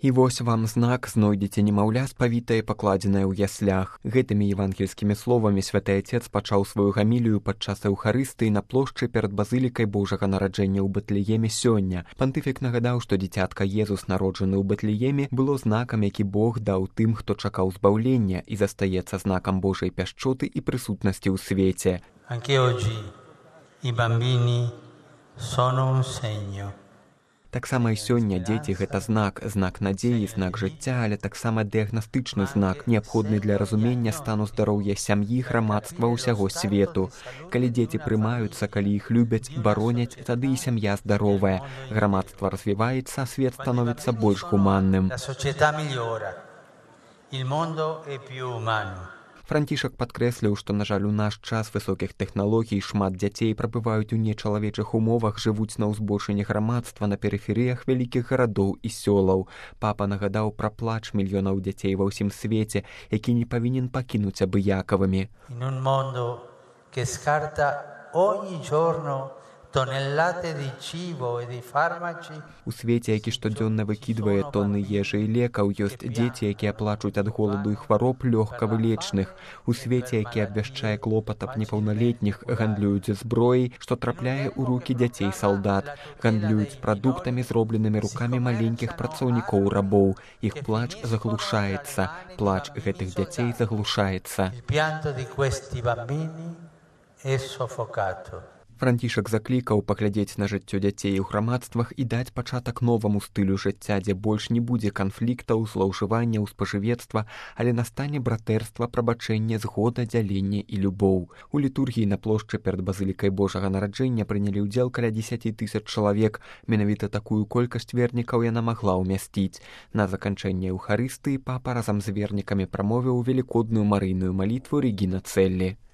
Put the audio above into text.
І вось вам знак, знойдзеце немаўля спавітае, пакладзенае ў яслях. Гэтымі евангельскімі словамі святы Отец пачаў сваю гамілію падчас эўхарыстыі на плошчы перад базылікай Божага нараджэння ў Бэтлееме сёння. Пантыфік нагадаў, што дзіцятка Езус, народжаны ў Бэтлееме, было знакам, які Бог даў тым, хто чакаў збаўлення, і застаецца знакам Божай пяшчоты і прысутнасці ў свеце. Anche oggi i bambini sono un segno. Таксама і сёння дзеці гэта знак надзеі, знак жыцця, але таксама дыягнастычны знак, неабходны для разумення стану здароўя сям'і, грамадства ўсяго свету. Калі дзеці прымаюцца, калі іх любяць, бароняць, тады і сям'я здаровая. Грамадства развіваецца, а свет становіцца больш гуманным. Францішак падкрэсліў, што, на жаль, у наш час высокіх тэхналогій шмат дзяцей прабываюць у нечалавечых умовах, жывуць на ўзбочыне грамадства на перыферыях вялікіх гарадоў і сёлаў. Папа нагадаў пра плач мільёнаў дзяцей ва ўсім свеце, які не павінен пакінуць абыякавымі. У свеце, які штодзённа выкідвае тонны ежы і лекаў, ёсць дзеці, якія плачуць ад голаду і хвароб лёгка вылечных. У свеце, які абвяшчае клопат аб непаўналетніх, гандлююць зброяй, што трапляе ў рукі дзяцей-салдат. Гандлююць прадуктамі, зробленымі рукамі маленькіх працаўнікоў-рабоў. Іх плач заглушаецца. Плач гэтых дзяцей заглушаецца. Францішак заклікаў паглядзець на жыццё дзяцей у грамадствах і даць пачатак новаму стылю жыцця, дзе больш не будзе канфліктаў, злоўжыванняў, спажывецтва, але настане братэрства, прабачэнне, згода, дзяленне і любоў. У літургіі на плошчы перад базылікай Божага нараджэння прынялі ўдзел каля 10 000 чалавек. Менавіта такую колькасць вернікаў яна магла ўмясціць. На заканчэнне эўхарыстыі папа разам з вернікамі прамовіў велікодную марыйную малітву Регіна Целлі.